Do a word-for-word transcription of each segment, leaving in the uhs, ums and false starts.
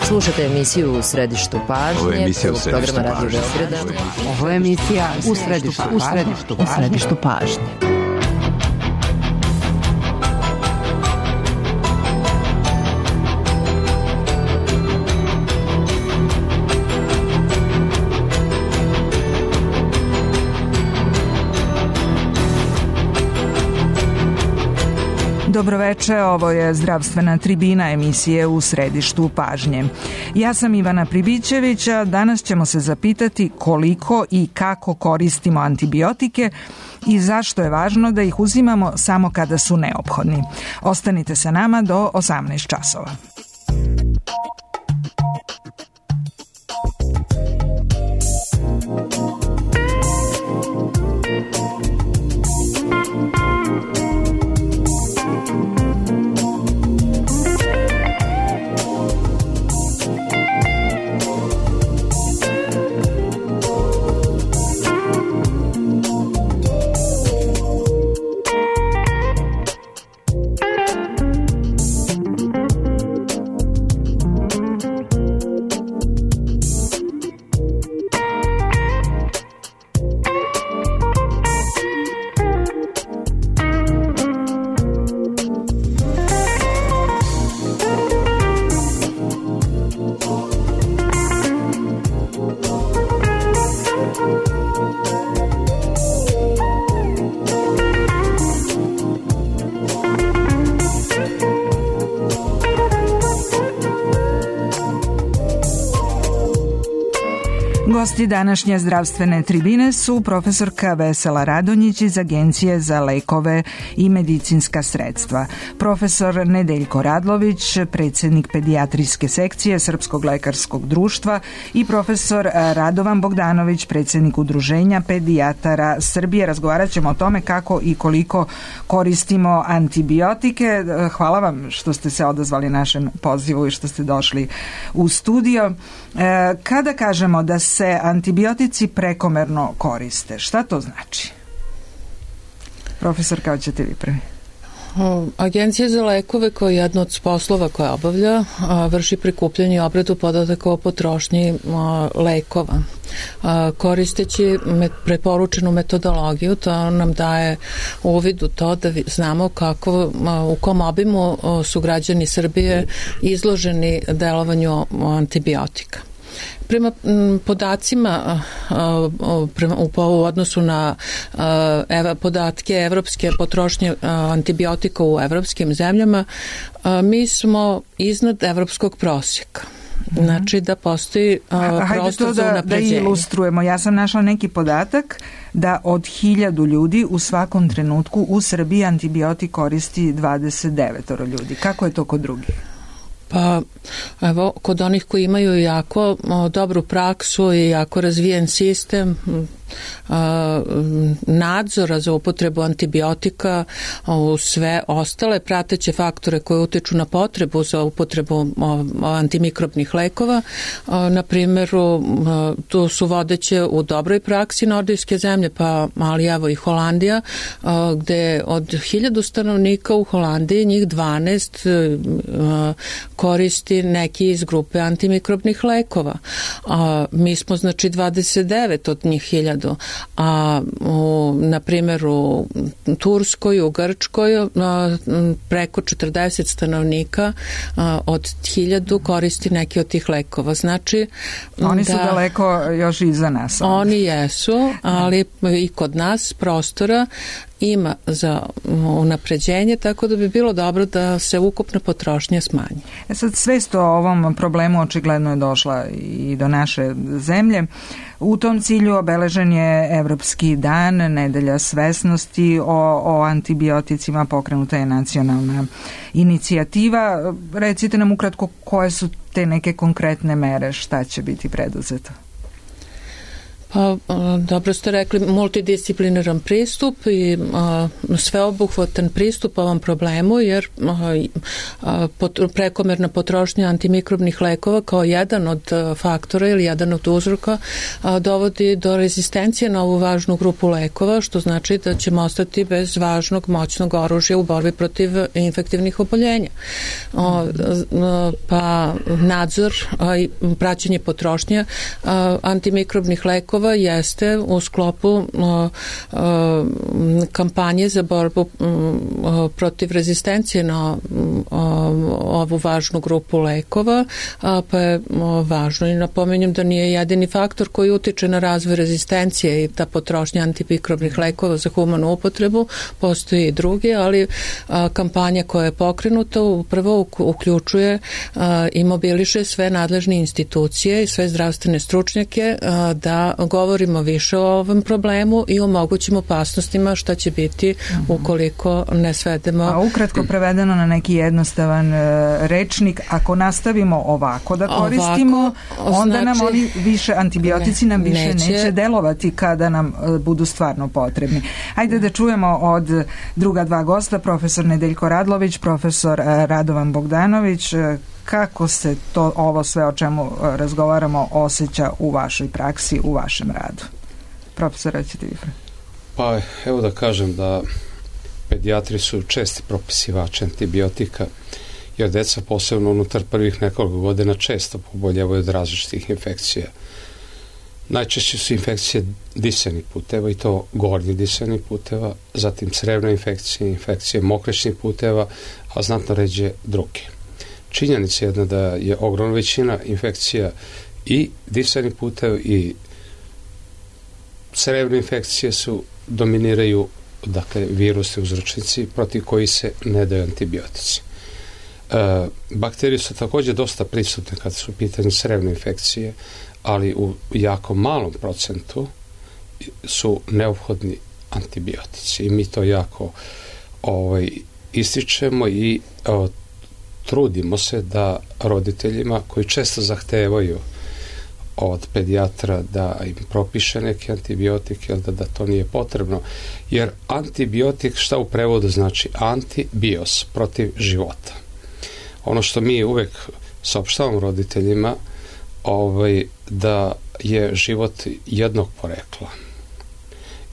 Slušate emisiju U središtu pažnje. Ovo je emisija U središtu pažnje. Ovo je emisija U središtu pažnje. U središtu pažnje. Dobroveče, ovo je zdravstvena tribina emisije U središtu pažnje. Ja sam Ivana Pribićević, a danas ćemo se zapitati koliko i kako koristimo antibiotike i zašto je važno da ih uzimamo samo kada su neophodni. Ostanite sa nama do osamnaest časova. Gosti današnje zdravstvene tribine su profesorka Vesela Radonjić iz Agencije za lekove i medicinska sredstva, profesor Nedeljko Radlović, predsjednik pedijatrijske sekcije Srpskog lekarskog društva i profesor Radovan Bogdanović, predsjednik Udruženja pedijatara Srbije. Razgovarat ćemo o tome kako i koliko koristimo antibiotike. Hvala vam što ste se odazvali našem pozivu i što ste došli u studio. Kada kažemo da se antibiotici prekomerno koriste, šta to znači? Profesor, kao ćete vi prvi? Agencija za lekove, koja je jedna od poslova koja obavlja, vrši prikupljanje i obradu podataka o potrošnji lekova. Koristeći preporučenu metodologiju, to nam daje uvid u to da znamo kako, u kom obimu su građani Srbije izloženi delovanju antibiotika. Prema podacima u odnosu na podatke evropske potrošnje antibiotika u evropskim zemljama, mi smo iznad evropskog prosjeka. Znači da postoji prostor za unapređenje. Da ilustrujemo. Ja sam našla neki podatak da od hiljadu ljudi u svakom trenutku u Srbiji antibiotik koristi dvadeset devet ljudi. Kako je to kod drugih? Pa, evo, kod onih koji imaju jako o, dobru praksu i jako razvijen sistem a, nadzora za upotrebu antibiotika u sve ostale prateće faktore koje utiču na potrebu za upotrebu o, antimikrobnih lekova. A, na primjeru, a, tu su vodeće u dobroj praksi nordijske zemlje, pa ali evo i Holandija, a, gde od hiljadu stanovnika u Holandiji njih dvanaest a, koristi neki iz grupe antimikrobnih lekova. A, mi smo znači dvadeset devet od njih hiljadu, a u, na primjer u Turskoj, u Grčkoj a, preko četrdeset stanovnika a, od hiljadu koristi neki od tih lekova. Znači, oni da, su daleko još iza nas. Onda. Oni jesu, ali i kod nas prostora ima za unapređenje, tako da bi bilo dobro da se ukupna potrošnja smanji. E sad, svest o ovom problemu očigledno je došla i do naše zemlje. U tom cilju obeležen je Evropski dan, nedelja svesnosti o, o antibioticima, pokrenuta je nacionalna inicijativa. Recite nam ukratko koje su te neke konkretne mere, šta će biti preduzeto? Pa, dobro ste rekli, multidisciplinaran pristup i a, sveobuhvatan pristup ovom problemu, jer a, a, pot, prekomerna potrošnja antimikrobnih lekova kao jedan od faktora ili jedan od uzroka a, dovodi do rezistencije na ovu važnu grupu lekova, što znači da ćemo ostati bez važnog moćnog oružja u borbi protiv infektivnih oboljenja. O, pa nadzor i praćenje potrošnje antimikrobnih lekova jeste u sklopu kampanje za borbu protiv rezistencije na ovu važnu grupu lekova, pa je važno i napominjem da nije jedini faktor koji utiče na razvoj rezistencije i ta potrošnja antimikrobnih lekova za humanu upotrebu, postoji i drugi, ali kampanja koja je pokrenuta upravo uključuje i mobiliše sve nadležne institucije i sve zdravstvene stručnjake da govorimo više o ovom problemu i o mogućim opasnostima šta će biti ukoliko ne svedemo. A ukratko prevedeno na neki jednostavan rečnik, ako nastavimo ovako da koristimo, ovako, onda znači, nam oni više, antibiotici ne, nam više neće. neće delovati kada nam budu stvarno potrebni. Ajde da čujemo od druga dva gosta, profesor Nedeljko Radlović, profesor Radovan Bogdanović, kako se to ovo sve o čemu razgovaramo osjeća u vašoj praksi, u vašem radu. Profesor, rećete vi. Pa evo da kažem da pedijatri su česti propisivači antibiotika, jer deca posebno unutar prvih nekoliko godina često poboljevaju od različitih infekcija. Najčešće su infekcije disenih puteva i to gornjih disenih puteva, zatim crevne infekcije, infekcije mokraćnih puteva, a znatno ređe druge. Činjenica je jedna da je ogromna većina infekcija i disenih puteva i crevne infekcije su dominiraju, dakle, virusni uzročnici protiv koji se ne daju antibiotici. E, bakterije su također dosta prisutne kad su u pitanju crevne infekcije, ali u jako malom procentu su neophodni antibiotici i mi to jako ovaj, ističemo i o, trudimo se da roditeljima koji često zahtevaju od pedijatra da im propiše neki antibiotik ili da, da to nije potrebno, jer antibiotik šta u prevodu znači antibios, protiv života. Ono što mi uvek saopštavamo roditeljima ovaj, da je život jednog porekla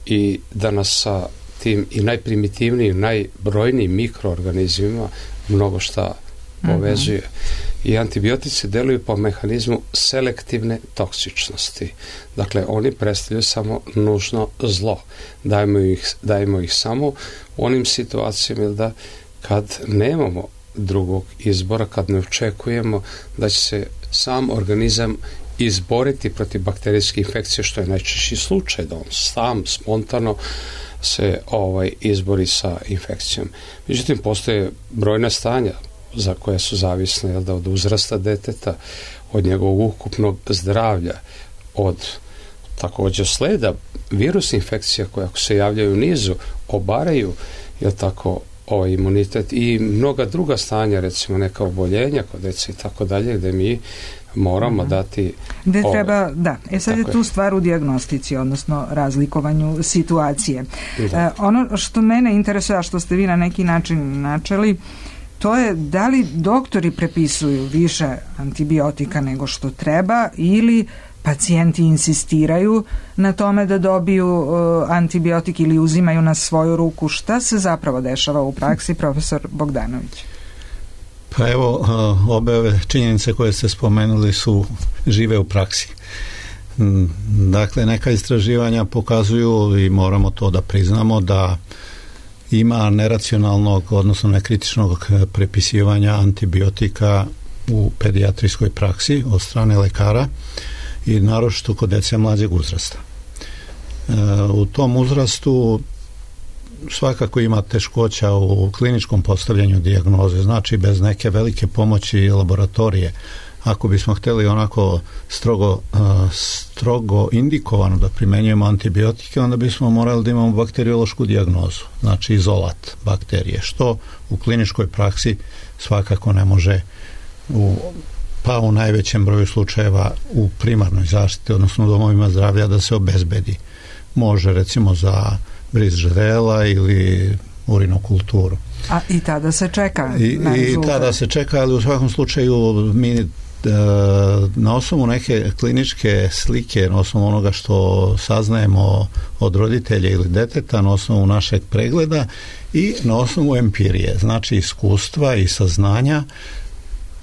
i da nas sa tim i najprimitivnijim, najbrojnijim mikroorganizmima mnogo šta povezuje. Mm-hmm. I antibiotici deluju po mehanizmu selektivne toksičnosti. Dakle, oni predstavljaju samo nužno zlo. Dajemo ih, dajemo ih samo u onim situacijama da kad nemamo drugog izbora, kad ne očekujemo da će se sam organizam izboriti protiv bakterijske infekcije, što je najčešći slučaj, da on sam spontano se ovaj, izbori sa infekcijom. Međutim, postoje brojna stanja za koje su zavisne, jel da, od uzrasta deteta, od njegovog ukupnog zdravlja, od također sleda virusnih infekcija koje ako se javljaju u nizu, obaraju, jel tako, ovaj imunitet i mnoga druga stanja, recimo neka oboljenja kod dece i tako dalje, gde mi moramo mm-hmm. dati gde ove, treba, da, e sad je tu je. stvar u dijagnostici, odnosno razlikovanju situacije. E, ono što mene interesuje, a što ste vi na neki način načeli, to je da li doktori prepisuju više antibiotika nego što treba ili pacijenti insistiraju na tome da dobiju uh, antibiotik ili uzimaju na svoju ruku. Šta se zapravo dešava u praksi, profesor Bogdanović? Pa evo, uh, obe ove činjenice koje ste spomenuli su žive u praksi. Dakle, neka istraživanja pokazuju, i moramo to da priznamo, da ima neracionalnog, odnosno nekritičnog prepisivanja antibiotika u pedijatrijskoj praksi od strane lekara i naročito kod dece mlađeg uzrasta. E, u tom uzrastu svakako ima teškoća u kliničkom postavljanju dijagnoze, znači bez neke velike pomoći laboratorije. Ako bismo htjeli onako strogo, strogo indikovano da primenjujemo antibiotike, onda bismo morali da imamo bakteriološku dijagnozu, znači izolat bakterije, što u kliničkoj praksi svakako ne može u pa u najvećem broju slučajeva u primarnoj zaštiti, odnosno u domovima zdravlja, da se obezbedi. Može recimo za bris žrela ili urinokulturu. A i tada se čeka I, na rezultat. I tada se čeka, ali u svakom slučaju mi na osnovu neke kliničke slike, na osnovu onoga što saznajemo od roditelja ili deteta, na osnovu našeg pregleda i na osnovu empirije, znači iskustva i saznanja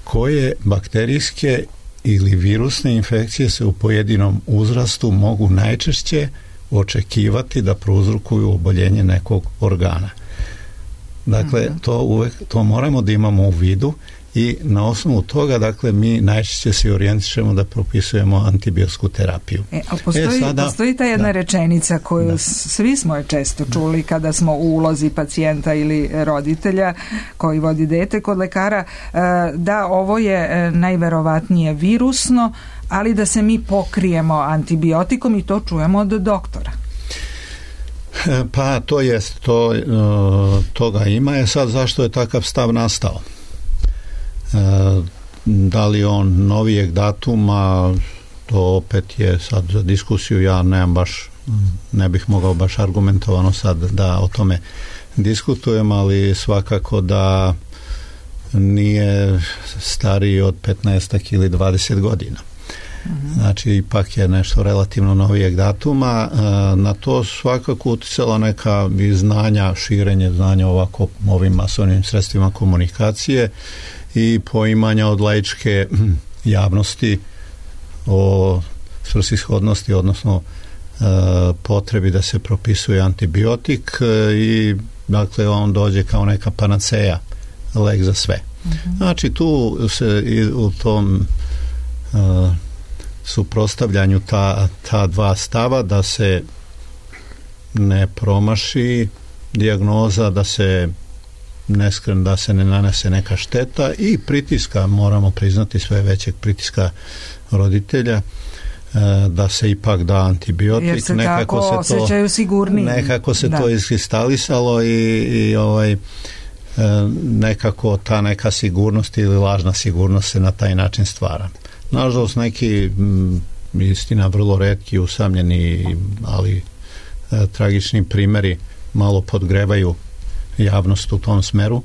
koje bakterijske ili virusne infekcije se u pojedinom uzrastu mogu najčešće očekivati da prouzrokuju oboljenje nekog organa. Dakle, to uvek, to moramo da imamo u vidu i na osnovu toga, dakle, mi najčešće se orijentišemo da propisujemo antibiotsku terapiju. E, a postoji, e, sada, postoji ta jedna da, rečenica koju da. svi smo je često čuli kada smo u ulozi pacijenta ili roditelja koji vodi dete kod lekara, da ovo je najverovatnije virusno, ali da se mi pokrijemo antibiotikom i to čujemo od doktora. Pa to jest, to, toga ima. Je sad zašto je takav stav nastao? Da li on novijeg datuma, to opet je sad za diskusiju, ja nemam baš, ne bih mogao baš argumentovano sad da o tome diskutujem, ali svakako da nije stariji od petnaest ili dvadeset godina. Znači ipak je nešto relativno novijeg datuma. Na to svakako uticala neka znanja, širenje znanja ovako ovim masovnim sredstvima komunikacije i poimanja od laičke javnosti o svrsishodnosti, odnosno potrebi da se propisuje antibiotik i dakle on dođe kao neka panaceja, lek za sve. Znači tu se u tom suprotstavljanju ta, ta dva stava, da se ne promaši dijagnoza, da se ne skren, da se ne nanese neka šteta i pritiska, moramo priznati sve većeg pritiska roditelja da se ipak da antibiotik. Jer se nekako tako se to, osjećaju sigurniji. Nekako se da. to iskristalisalo i, i ovaj nekako ta neka sigurnost ili lažna sigurnost se na taj način stvara. Nažalost, neki m, istina vrlo retki, usamljeni, ali e, tragični primjeri malo podgrevaju javnost u tom smeru,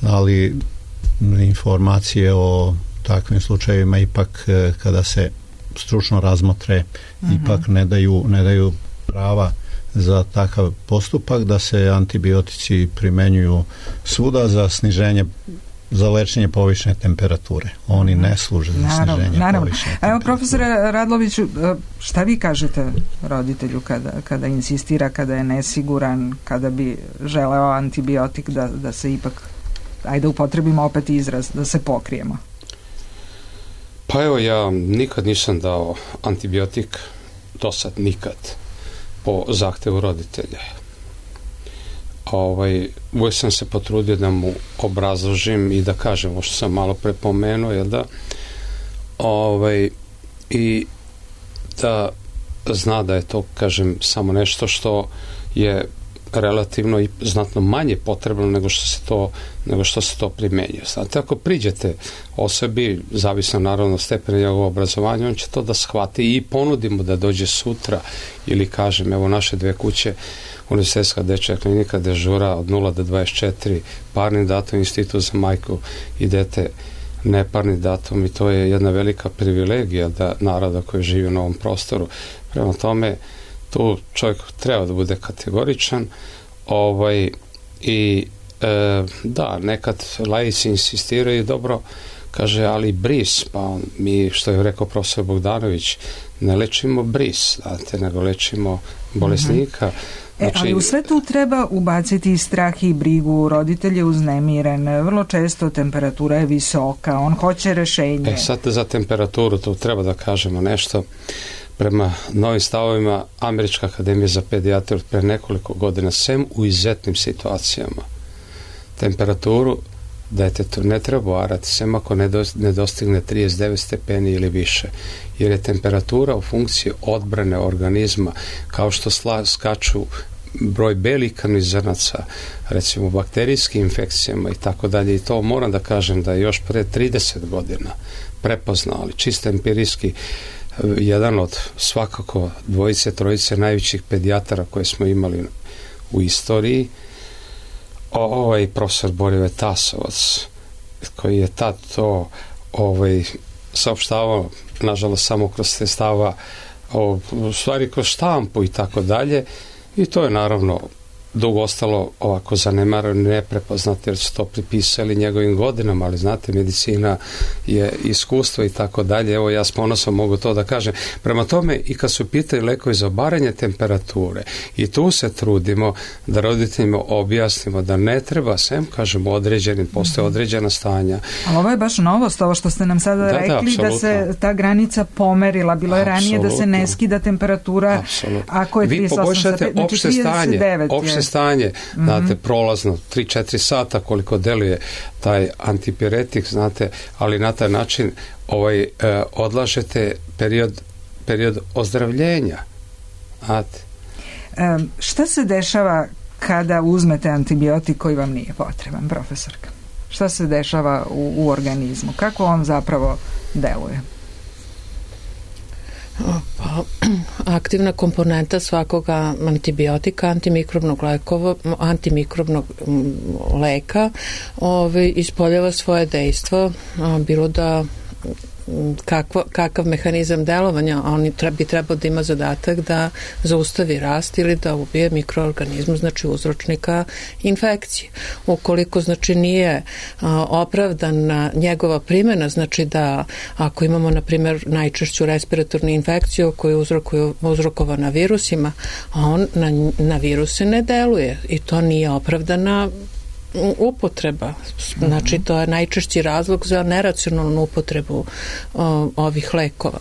ali informacije o takvim slučajevima ipak e, kada se stručno razmotre, mm-hmm. ipak ne daju, ne daju prava za takav postupak da se antibiotici primenjuju svuda za sniženje, za lečenje povišene temperature. Oni ne služe za naravno, sniženje naravno. povišene temperature. Evo, profesore Radloviću, šta vi kažete roditelju kada, kada insistira, kada je nesiguran, kada bi želeo antibiotik da, da se ipak, ajde upotrebimo opet izraz, da se pokrijemo? Pa evo, ja nikad nisam dao antibiotik, do sad nikad, po zahtevu roditelja. Ovaj, uvijek sam se potrudio da mu obrazložim i da kažem ovo što sam malo prepomenuo, jel da? Ovaj, i da zna da je to, kažem, samo nešto što je relativno i znatno manje potrebno nego što se to, nego što se to primenjuje. Znate, ako priđete osobi, zavisno naravno stepena njegovog obrazovanja, on će to da shvati i ponudimo da dođe sutra ili kažem, evo naše dve kuće, Univerzitetska dečja klinika dežura od nula do dvadeset četiri, parni datum, institut za majku i dete neparni datum i to je jedna velika privilegija da naroda koji živi na ovom prostoru. Prema tome, tu čovjek treba da bude kategoričan ovaj, i e, da, nekad laici insistiraju dobro, kaže, ali bris, pa on, mi, što je rekao profesor Bogdanović, ne lečimo bris, znate, nego lečimo bolesnika. Znači, e, ali u sve tu treba ubaciti strah i brigu, roditelj je uznemiren, vrlo često temperatura je visoka, on hoće rešenje. E sad za temperaturu tu treba da kažemo nešto. Prema novim stavovima Američka akademija za pedijatriju pre nekoliko godina, sem u izuzetnim situacijama, temperaturu detetu ne treba varati, sem ako ne, do, ne dostigne trideset devet stepeni ili više, jer je temperatura u funkciji odbrane organizma, kao što sla, skaču broj belih krvnih zrnaca, recimo bakterijskim infekcijama i tako dalje, i to moram da kažem da je još pre trideset godina prepoznali, čisto empirijski, jedan od svakako dvojice, trojice najvećih pedijatara koje smo imali u istoriji, ovaj profesor Borive Tasovac, koji je tad to ovaj, saopštavao, nažalost samo kroz sredstava, u stvari kroz štampu i tako dalje, i to je naravno dugo ostalo ovako zanemarano, neprepoznato, jer su to pripisali njegovim godinama, ali znate, medicina je iskustvo i tako dalje. Evo, ja s ponosom mogu to da kažem. Prema tome, i kad su pitaju lekovi za obaranje temperature, i tu se trudimo da roditeljima objasnimo da ne treba, sem, kažemo, određenim, postoje određena stanja. Ali ovo je baš novost, ovo što ste nam sada da, rekli, da, da se ta granica pomerila. Bilo je ranije apsolutno. Da se ne skida temperatura, apsolutno. Ako je trideset osam, vi poboljšate opšte stanje, opšte stanje, mm-hmm. znate, prolazno tri četiri sata koliko deluje taj antipiretik, znate, ali na taj način ovaj, e, odlažete period, period ozdravljenja. Znate. E, šta se dešava kada uzmete antibiotik koji vam nije potreban, profesorka? Šta se dešava u, u organizmu? Kako on zapravo deluje? Pa, aktivna komponenta svakoga antibiotika, antimikrobnog lekova, antimikrobnog leka ovaj, ispoljava svoje dejstvo, bilo da kakva, kakav mehanizam delovanja, on bi trebao da ima zadatak da zaustavi rast ili da ubije mikroorganizmu, znači uzročnika infekcije. Ukoliko znači nije a, opravdana njegova primjena, znači da ako imamo na primjer najčešću respiratornu infekciju koju uzrokuju, uzrokovana virusima, a on na, na viruse ne deluje i to nije opravdana upotreba. Znači to je najčešći razlog za neracionalnu upotrebu o, ovih lekova.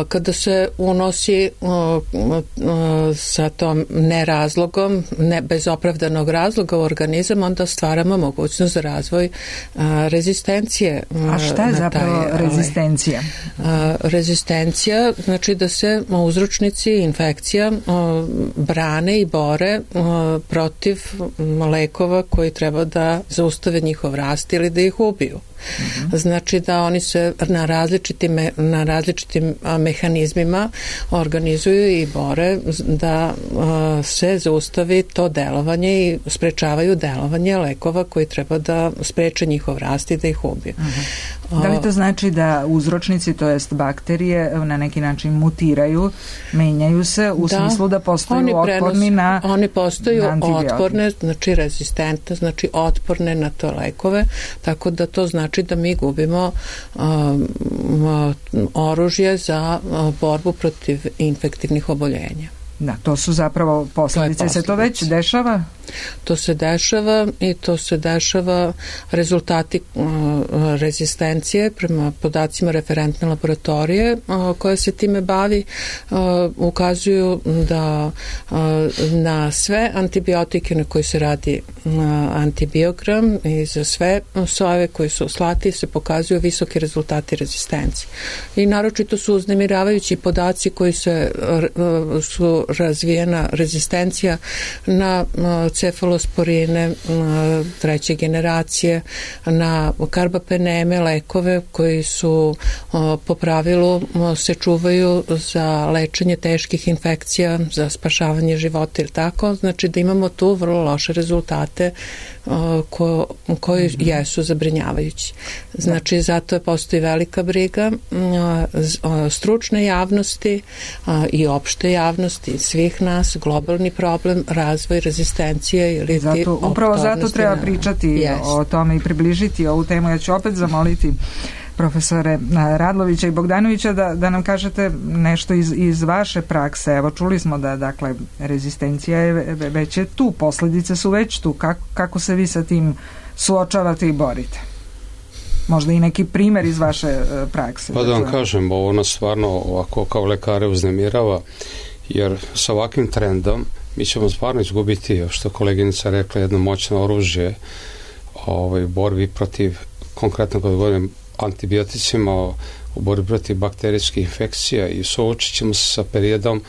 Kada se unosi o, o, sa tom nerazlogom, ne bez opravdanog razloga u organizam, onda stvaramo mogućnost za razvoj a, rezistencije. A šta je zapravo taj, rezistencija? A, rezistencija znači da se uzročnici infekcija o, brane i bore o, protiv lekova koji treba da zaustave njihov rast ili da ih ubiju. Mm-hmm. Znači da oni se na različitim, na različitim mehanizmima organizuju i bore da uh, se zaustavi to delovanje i sprečavaju delovanje lekova koji treba da spreče njihov rast i da ih ubiju. Mm-hmm. Da li to znači da uzročnici, to jest bakterije, na neki način mutiraju, menjaju se u da, smislu da postaju otporni na Oni postaju otporne, znači rezistentne, znači otporne na to lekove, tako da to znači da mi gubimo um, oružje za uh, borbu protiv infektivnih oboljenja. Da, to su zapravo posljedice. Se to već dešava? To se dešava i to se dešava rezultati uh, rezistencije prema podacima referentne laboratorije uh, koja se time bavi uh, ukazuju da uh, na sve antibiotike na koji se radi uh, antibiogram i za sve sojeve koji su slati se pokazuju visoki rezultati rezistencije. I naročito su uznemiravajući podaci koji se uh, su razvijena rezistencija na uh, cefalosporine treće generacije, na karbapeneme, lekove koji su po pravilu se čuvaju za lečenje teških infekcija, za spašavanje života ili tako. Znači da imamo tu vrlo loše rezultate ko, koji mm-hmm. jesu zabrinjavajući. Znači zato je postoji velika briga stručne javnosti i opšte javnosti svih nas, globalni problem, razvoj rezistencije ili zato, upravo zato treba pričati yes. o tome i približiti ovu temu. Ja ću opet zamoliti profesore Radlovića i Bogdanovića da, da nam kažete nešto iz, iz vaše prakse. Evo, čuli smo da, dakle, rezistencija je već je tu, posljedice su već tu. Kako, kako se vi sa tim suočavate i borite? Možda i neki primjer iz vaše prakse. Pa da vam kažem, ovo nas stvarno ovako kao lekare uznemirava, jer sa ovakvim trendom mi ćemo stvarno izgubiti, što koleginica rekla, jedno moćno oružje ovaj, u borbi protiv, konkretno kad govorim antibioticima, u borbi protiv bakterijskih infekcija, i suočit ćemo se sa periodom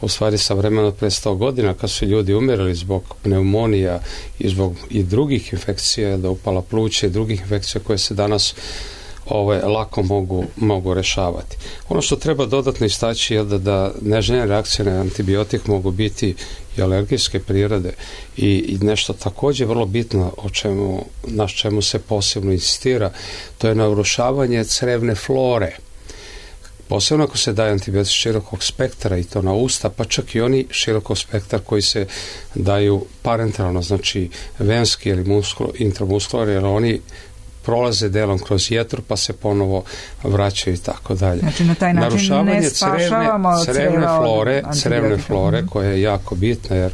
u stvari sa vremena od pre sto godina, kad su ljudi umirali zbog pneumonija i zbog i drugih infekcija, da upala pluća i drugih infekcija koje se danas ove, lako mogu, mogu rešavati. Ono što treba dodatno istaći je da, da neželjene reakcije na antibiotik mogu biti i alergijske prirode i, i nešto također vrlo bitno o čemu, na čemu se posebno insistira, to je narušavanje crevne flore. Posebno ako se daje antibiotik širokog spektra i to na usta, pa čak i oni širokog spektra koji se daju parenteralno, znači venski ili muskul, intramuskularni, jer oni prolaze delom kroz jetru pa se ponovo vraćaju i tako dalje. Znači na taj način narušavanje ne spašavamo crevne, crevne flore, crevne flore mm-hmm. koja je jako bitna, jer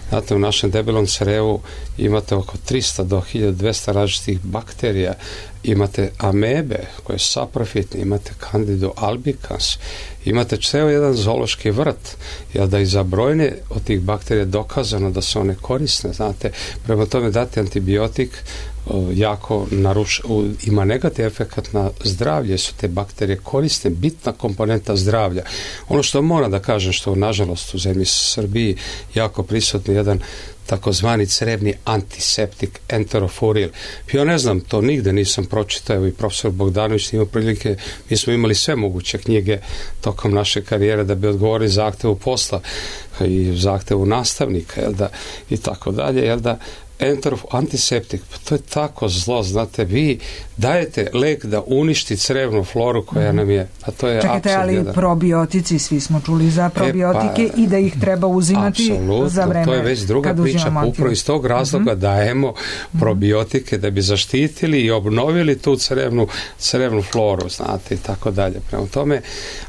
znate, u našem debelom crevu imate oko tristo do hiljadu dvesta različitih bakterija, imate amebe koje su saprofitne, imate Candidu albicans, imate ceo jedan zoološki vrt, jer da i za brojne od tih bakterija dokazano da su one korisne, znate, prema tome dati antibiotik jako naruš, ima negativ efekt na zdravlje, su te bakterije korisne, bitna komponenta zdravlja. Ono što moram da kažem, što nažalost u zemlji Srbiji jako prisutni jedan takozvani crevni antiseptik enterofuril. Ja ne znam, to nigde nisam pročitao, evo i profesor Bogdanović ima prilike, mi smo imali sve moguće knjige tokom naše karijere da bi odgovorili zahtevu posla i zahtevu nastavnika, jel da, i tako dalje, jel da, enterof, antiseptik, pa to je tako zlo, znate, vi dajete lek da uništi crevnu floru koja nam je, a to je čekajte, ali jedan. Probiotici, svi smo čuli za probiotike e, pa, i da ih treba uzimati za vreme. To je već druga priča, pa upravo iz tog razloga mm-hmm. dajemo probiotike da bi zaštitili i obnovili tu crevnu, crevnu floru, znate, i tako dalje. Prema tome,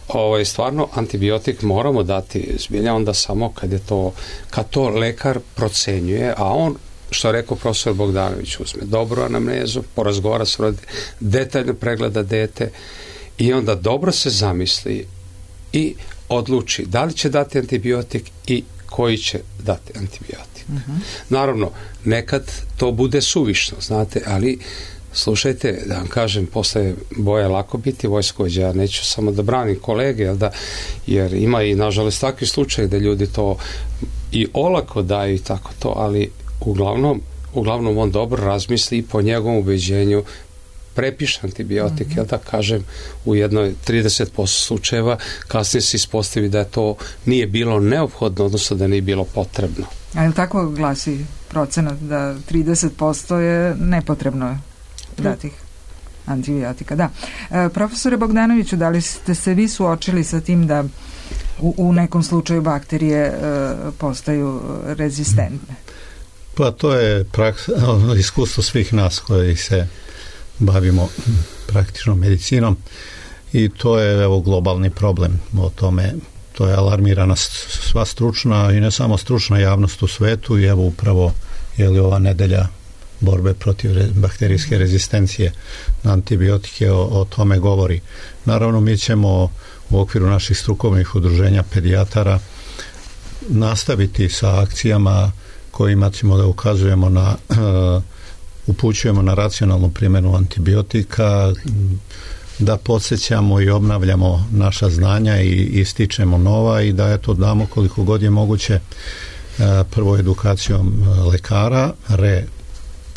ovaj, stvarno antibiotik moramo dati zbilja onda samo kad je to, kad to lekar procenjuje, a on, što je rekao profesor Bogdanović, uzme dobru anamnezu, porazgovara s roditeljem, detaljno pregleda dete i onda dobro se zamisli i odluči da li će dati antibiotik i koji će dati antibiotik. Uh-huh. Naravno, nekad to bude suvišno, znate, ali slušajte, da vam kažem, posle boja lako biti vojskovođa, ja neću samo da branim kolege, jel da, jer ima i nažalost takvi slučaj da ljudi to i olako daju i tako to, ali uglavnom, uglavnom on dobro razmisli i po njegovom ubeđenju prepiše antibiotik, mm-hmm. jel da kažem, u jednoj trideset posto slučajeva, kasnije se ispostavi da je to nije bilo neophodno, odnosno da nije bilo potrebno. A je tako glasi procenat da trideset posto je nepotrebno datih antibiotika? Da. E, profesore Bogdanoviću, da li ste se vi suočili sa tim da u, u nekom slučaju bakterije e, postaju rezistentne? Pa to je praksa, iskustvo svih nas koji se bavimo praktično medicinom i to je evo globalni problem o tome, to je alarmirana sva stručna i ne samo stručna javnost u svetu i evo upravo je li ova nedelja borbe protiv re, bakterijske rezistencije na antibiotike o, o tome govori. Naravno mi ćemo u okviru naših strukovnih udruženja pedijatara nastaviti sa akcijama kojima ćemo da ukazujemo na uh, upućujemo na racionalnu primjenu antibiotika, da podsjećamo i obnavljamo naša znanja i ističemo nova i da eto damo koliko god je moguće uh, prvo edukacijom lekara, re,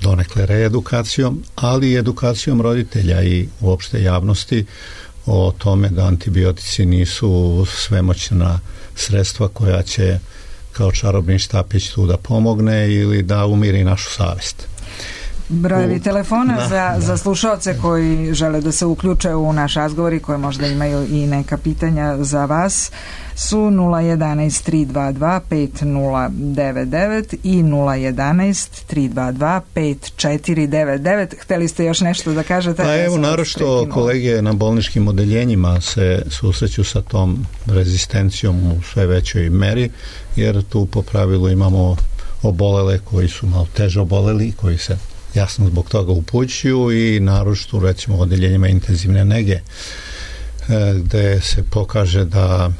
donekle reedukacijom, ali i edukacijom roditelja i uopšte javnosti o tome da antibiotici nisu svemoćna sredstva koja će kao čarobni štapić tu da pomogne ili da umiri našu savest. Brojevi telefona da, za, da. za slušaoce koji žele da se uključe u naš razgovor i koji možda imaju i neka pitanja za vas su nula jedanaest tri dva dva pet nula devet devet i nula jedanaest tri dva dva pet četiri devet devet. Hteli ste još nešto da kažete? Pa evo, naročito kolege na bolničkim odeljenjima se susreću sa tom rezistencijom u sve većoj meri, jer tu po pravilu imamo obolele koji su malo teže oboleli, koji se jasno zbog toga upućuju i naročito recimo odeljenjima intenzivne nege gde se pokaže da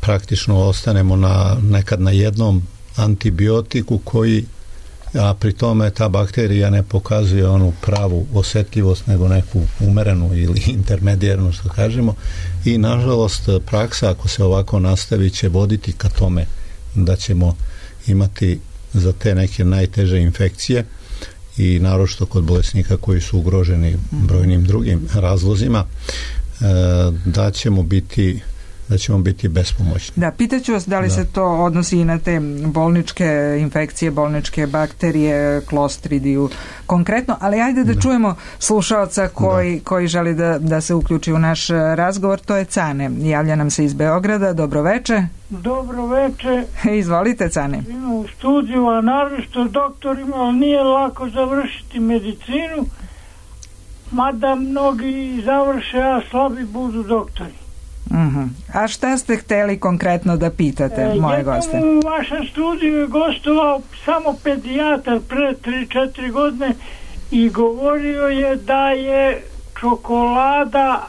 praktično ostanemo na, nekad na jednom antibiotiku koji a pri tome ta bakterija ne pokazuje onu pravu osjetljivost, nego neku umerenu ili intermedijarnu, što kažemo, i nažalost praksa, ako se ovako nastavi, će voditi ka tome da ćemo imati za te neke najteže infekcije i naročito kod bolesnika koji su ugroženi brojnim drugim razlozima, da ćemo biti da ćemo biti bespomoćni. Da, pitaću vas da li da. se to odnosi i na te bolničke infekcije, bolničke bakterije, klostridiju konkretno, ali ajde da, da. čujemo slušaoca koji, da. koji želi da, da se uključi u naš razgovor, to je Cane. Javlja nam se iz Beograda. Dobro veče. Dobro veče. Izvolite, Cane. Ima u studiju, a naročito doktorima, ali nije lako završiti medicinu, mada mnogi završe, a slabi budu doktori. Uh-huh. A šta ste hteli konkretno da pitate, e, moje goste? U vašem studiju je gostovao samo pedijatar pre tri četiri godine i govorio je da je čokolada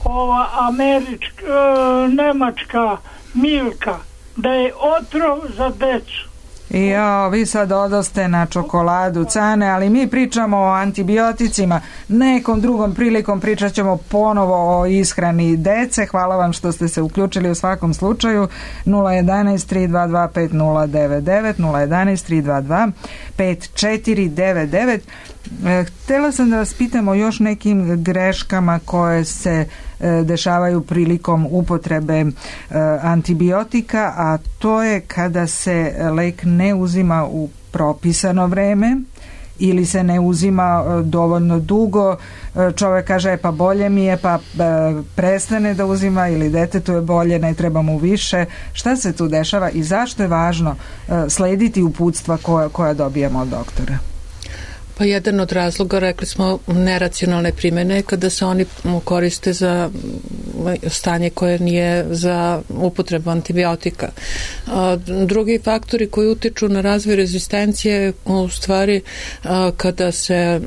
ova američka, e, nemačka Milka, da je otrov za decu. Ja, vi sad odoste na čokoladu, Cane, ali mi pričamo o antibioticima. Nekom drugom prilikom pričat ćemo ponovo o ishrani dece. Hvala vam što ste se uključili u svakom slučaju. nula jedan tri dva dva pet nula devet devet, nula jedan tri dva dva pet četiri devet devet. Htjela sam da vas pitam o još nekim greškama koje se dešavaju prilikom upotrebe antibiotika, a to je kada se lek ne uzima u propisano vreme ili se ne uzima dovoljno dugo. Čovjek kaže pa bolje mi je, pa prestane da uzima, ili detetu je bolje, ne treba mu više. Šta se tu dešava i zašto je važno slediti uputstva koja, koja dobijemo od doktora? Pa jedan od razloga, rekli smo, neracionalne primjene, kada se oni koriste za stanje koje nije za upotrebu antibiotika. Drugi faktori koji utiču na razvoj rezistencije, u stvari kada se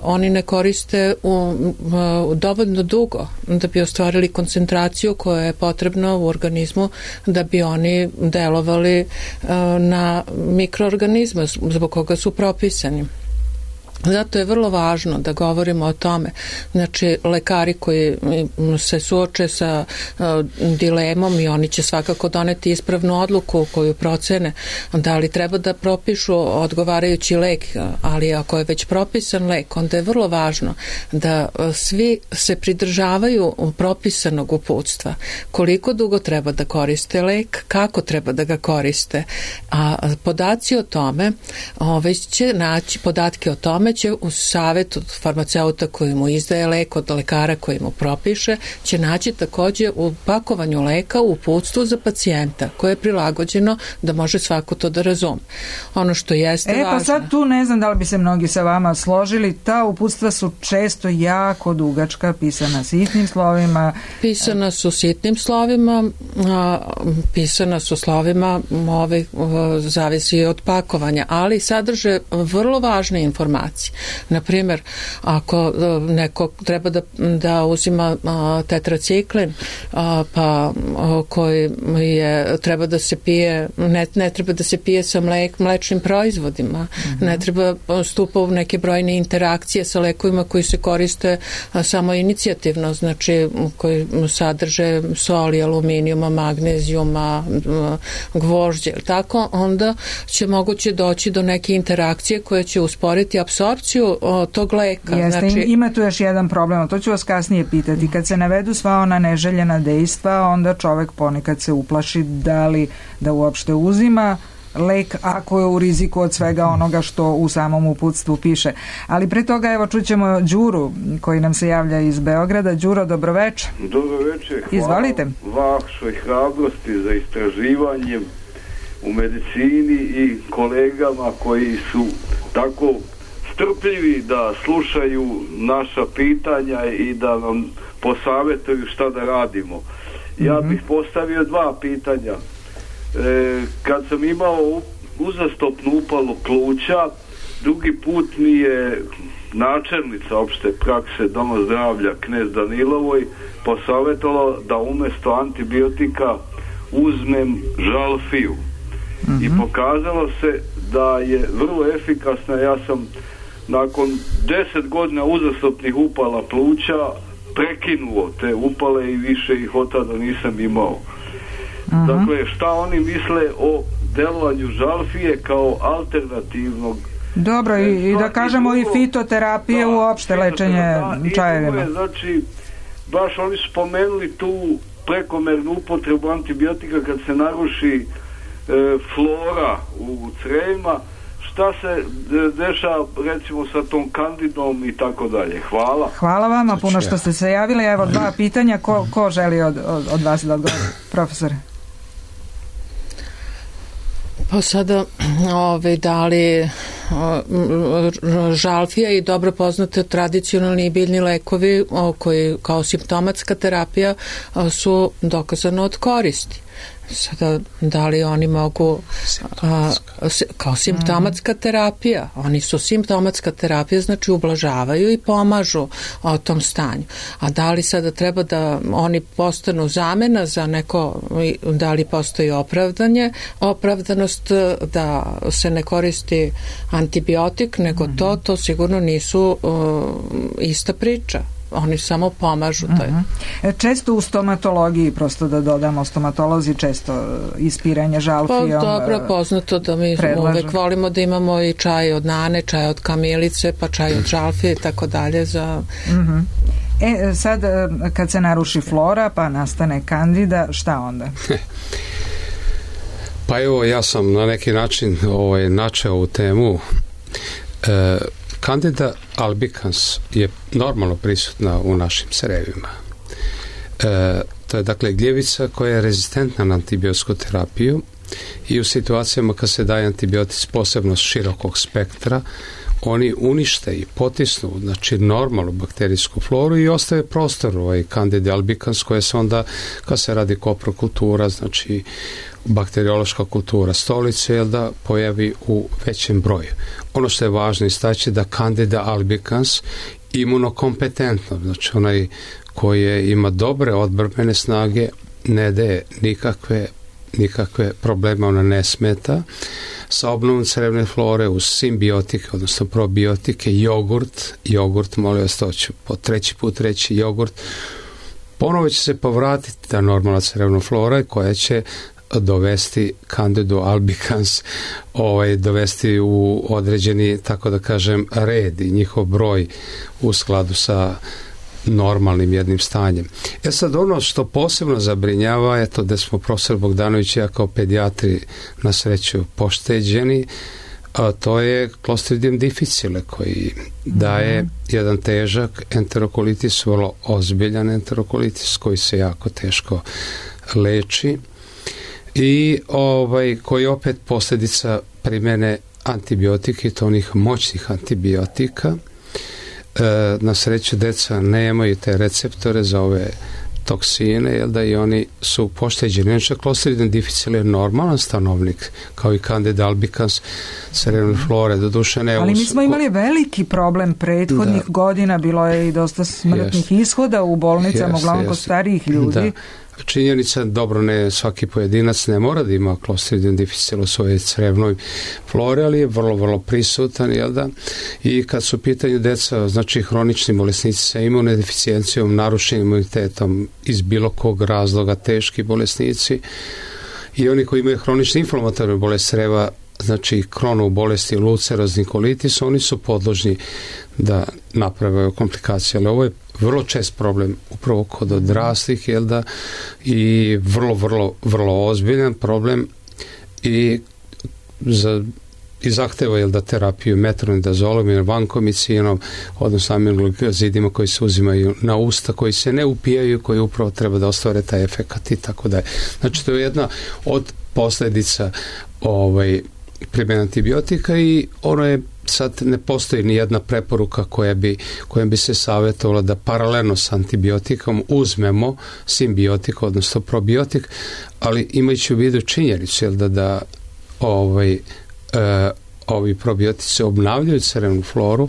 oni ne koriste u, u dovoljno dugo da bi ostvarili koncentraciju koja je potrebna u organizmu da bi oni delovali na mikroorganizme zbog koga su propisani. Zato je vrlo važno da govorimo o tome. Znači, lekari koji se suoče sa uh, dilemom i oni će svakako doneti ispravnu odluku koju procene da li treba da propišu odgovarajući lek, ali ako je već propisan lek, onda je vrlo važno da uh, svi se pridržavaju propisanog uputstva. Koliko dugo treba da koriste lek, kako treba da ga koriste. A podaci o tome, ove će naći, podatke o tome će u savjetu od farmaceuta koji mu izdaje lek, od lekara koji mu propiše, će naći također u pakovanju leka u uputstvu za pacijenta koje je prilagođeno da može svako to da razume. Ono što jeste e, važno. Pa sad tu ne znam da li bi se mnogi sa vama složili, ta uputstva su često jako dugačka, pisana sitnim slovima. Pisana su sitnim slovima, a, pisana su slovima, ove, zavisi od pakovanja, ali sadrže vrlo važne informacije. Na primjer, ako neko treba da, da uzima a, tetraciklin, a, pa a, koji je, treba da se pije, ne, ne treba da se pije sa mlek, mlečnim proizvodima, mm-hmm. ne treba stupa u neke brojne interakcije sa lekovima koji se koriste a, samo inicijativno, znači koji sadrže soli, aluminijuma, magnezijuma, gvožđe, tako onda će moguće doći do neke interakcije koje će usporiti apsorpciju tog leka. Jeste, znači, ima tu još jedan problem, to ću vas kasnije pitati. Kad se navedu sva ona neželjena dejstva, onda čovjek ponekad se uplaši da li da uopšte uzima lek ako je u riziku od svega onoga što u samom uputstvu piše. Ali pre toga evo čućemo Đuru koji nam se javlja iz Beograda. Đuro, dobroveče. Dobroveče. Izvolite. Hvala vašoj hrabrosti za istraživanjem u medicini i kolegama koji su tako strpljivi da slušaju naša pitanja i da nam posavjetuju šta da radimo. Ja bih postavio dva pitanja. E, kad sam imao uzastopnu upalu pluća, drugi put mi je načelnica opšte prakse Doma zdravlja Knez Danilovoj posavjetovala da umjesto antibiotika uzmem žalfiju. Mm-hmm. I pokazalo se da je vrlo efikasna. Ja sam nakon deset godina uzastopnih upala pluća prekinuo te upale i više ih od tada nisam imao. Uh-huh. Dakle, šta oni misle o delovanju žalfije kao alternativnog? Dobro, i, i da kažemo i fitoterapije, da, uopšte lečenje čajevima. Znači, baš oni su spomenuli tu prekomernu upotrebu antibiotika kad se naruši e, flora u crevima. Šta se dešava recimo sa tom kandidom i tako dalje. Hvala. Hvala vama puno što ste se javili. Evo dva pitanja. Ko, ko želi od, od, od vas da odgovori? Profesore. Pa sada ove, da li žalfija i dobro poznate tradicionalni biljni lekovi koji kao simptomatska terapija su dokazano od koristi. Sada, da li oni mogu a, kao simptomatska terapija, oni su simptomatska terapija, znači ublažavaju i pomažu o tom stanju. A da li sada treba da oni postanu zamena za neko, da li postoji opravdanje, opravdanost da se ne koristi antibiotik, nego to, to sigurno nisu uh, ista priča. Oni samo pomažu. To je. Uh-huh. Često u stomatologiji, prosto da dodamo, stomatolozi često ispiranje žalfijom. Pa dobro, poznato da mi predlažu. Uvek volimo da imamo i čaj od nane, čaj od kamilice, pa čaj od žalfije i tako dalje za... Uh-huh. E, sad kad se naruši flora pa nastane kandida, šta onda? Pa evo, ja sam na neki način ovaj, načeo ovu temu. E, Candida albicans je normalno prisutna u našim crevima. E, to je dakle gljivica koja je rezistentna na antibiotsku terapiju i u situacijama kad se daje antibiotic posebno širokog spektra, oni unište i potisnu znači normalnu bakterijsku floru i ostave prostor ovaj Candida albicans koja se onda, kad se radi koprokultura, znači bakteriološka kultura stolice, jel da pojavi u većem broju. Ono što je važno istaći da Candida albicans imunokompetentno, znači onaj koji ima dobre odbrambene snage, ne daje nikakve nikakve probleme, ona ne smeta. Sa obnovom crevne flore uz simbiotike, odnosno probiotike, jogurt, jogurt, molim vas, to ću po treći put reći, jogurt, ponovo će se povratiti ta normalna crevna flora koja će dovesti Candidu albicans, ovaj, dovesti u određeni, tako da kažem, red i njihov broj u skladu sa normalnim jednim stanjem. E sad, ono što posebno zabrinjava je to da smo profesor Bogdanović i ja kao pedijatri na sreću pošteđeni, a to je Clostridium difficile koji daje mm. jedan težak enterokolitis, vrlo ozbiljan enterokolitis koji se jako teško leči i ovaj, koji opet posljedica primjene antibiotika i to onih moćnih antibiotika. E, na sreću deca nemaju te receptore za ove toksine, jel da, i oni su pošteđeni. Inače, Clostridium difficile je normalan stanovnik, kao i Candida albicans crevne flore, do duše ne. Ali mi smo imali veliki problem prethodnih da. godina, bilo je i dosta smrtnih yes. ishoda u bolnicama, yes, uglavnom yes. kod starijih ljudi. Da. Činjenica, dobro, ne svaki pojedinac ne mora da ima Clostridium difficile u svojoj crevnoj flori, ali je vrlo, vrlo prisutan, jel da? I kad su u pitanju deca, znači hronični bolesnici sa imunodeficijencijom, narušenim imunitetom iz bilo kog razloga, teški bolesnici i oni koji imaju hronični inflamatorni bolest creva, znači kronu bolesti, ulcerozni kolitis, oni su podložni da naprave komplikacije, ali ovo je vrlo čest problem upravo kod odraslih, jel da, i vrlo, vrlo, vrlo ozbiljan problem i za i zahteva, jel da, terapiju metronidazolom i vankomicinom, odnosno aminoglikozidima koji se uzimaju na usta, koji se ne upijaju, koji upravo treba da ostvare taj efekat i tako da je. Znači, to je jedna od posljedica ovaj, primjene antibiotika i ono je sad ne postoji ni jedna preporuka koja bi, koja bi se savjetovala da paralelno s antibiotikom uzmemo simbiotik, odnosno probiotik, ali imajući u vidu činjenicu, jel da, da ovaj, e, ovi probiotici obnavljaju crevnu floru,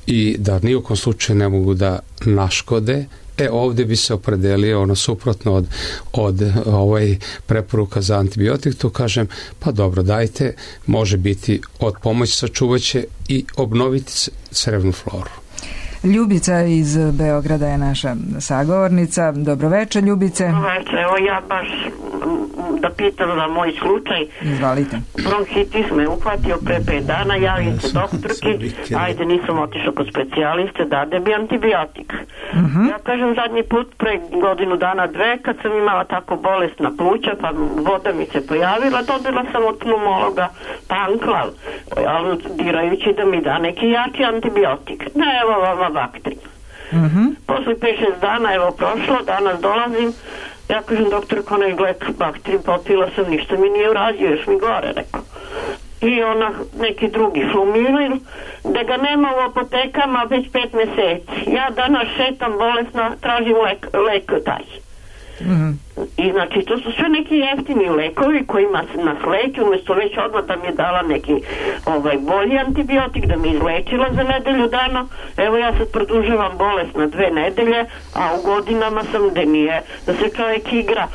i da ni u kom slučaju ne mogu da naškode, e ovdje bi se opredelio ono suprotno od, od ovaj preporuka za antibiotik, tu kažem pa dobro, dajte, može biti od pomoći, sačuvat će i obnoviti crevnu floru. Ljubica iz Beograda je naša sagovornica. Dobroveče, Ljubice. Dobroveče, evo ja baš da pitam za moj slučaj. Izvalite. Bronhitis me uhvatio pre pet dana, javim se doktorki, ajde nisam otišao kod specijaliste, dade bi antibiotik. Uh-huh. Ja kažem zadnji put pre godinu dana dve, kad sam imala tako bolesna pluća, pa voda mi se pojavila, dobila sam od pneumologa panklav, aludirajući da mi da neki jaki antibiotik. Ne, evo vama bakteri. Uh-huh. Posle pet šest dana, evo prošlo, danas dolazim, ja kažem doktor onaj glek bakteri, popila sam, ništa mi nije uradio, još mi gore, rekao. I ona neki drugi Flumirin, da ga nema u apotekama već pet meseci. Ja danas šetam bolesna, tražim lek, lek taj. Mm-hmm. I znači to su sve neki jeftini lekovi kojima nas leči, umjesto već odmah da mi je dala neki ovaj, bolji antibiotik, da mi izlečila za nedelju dana. Evo ja sad produžavam bolest na dve nedelje, a u godinama sam da nije, da se čovjek igra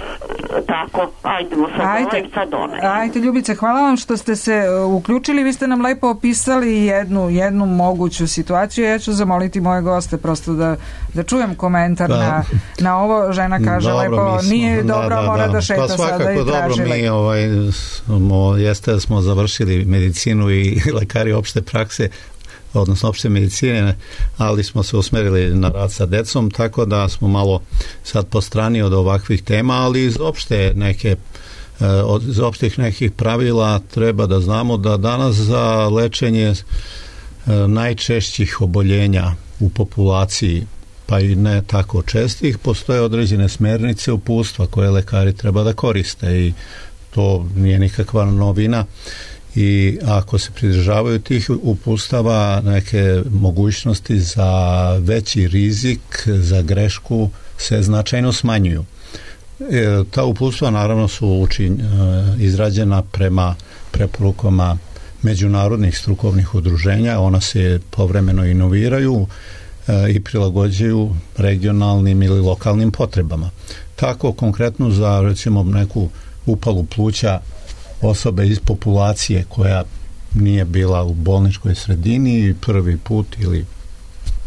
tako, ajdemo sad ajde, ovaj, sad onaj. Ajde Ljubice, hvala vam što ste se uključili, vi ste nam lepo opisali jednu, jednu moguću situaciju. Ja ću zamoliti moje goste prosto da, da čujem komentar da. na, na ovo. Žena kaže dobro, lepo, smo, nije dobro, da, da, mora da, da šeta pa sada i traži dobro, mi ovaj, smo, jeste da smo završili medicinu i lekari opšte prakse, odnosno opšte medicine, ali smo se usmerili na rad sa decom, tako da smo malo sad postrani od ovakvih tema, ali iz opšte neke od iz opštih nekih pravila treba da znamo da danas za lečenje najčešćih oboljenja u populaciji, pa i ne tako čestih, postoje određene smernice uputstva koje lekari treba da koriste i to nije nikakva novina i ako se pridržavaju tih uputstava, neke mogućnosti za veći rizik, za grešku se značajno smanjuju. E, ta uputstva naravno su učin, izrađena prema preporukama međunarodnih strukovnih udruženja, ona se povremeno inoviraju i prilagođuju regionalnim ili lokalnim potrebama. Tako konkretno za recimo neku upalu pluća osobe iz populacije koja nije bila u bolničkoj sredini i prvi put ili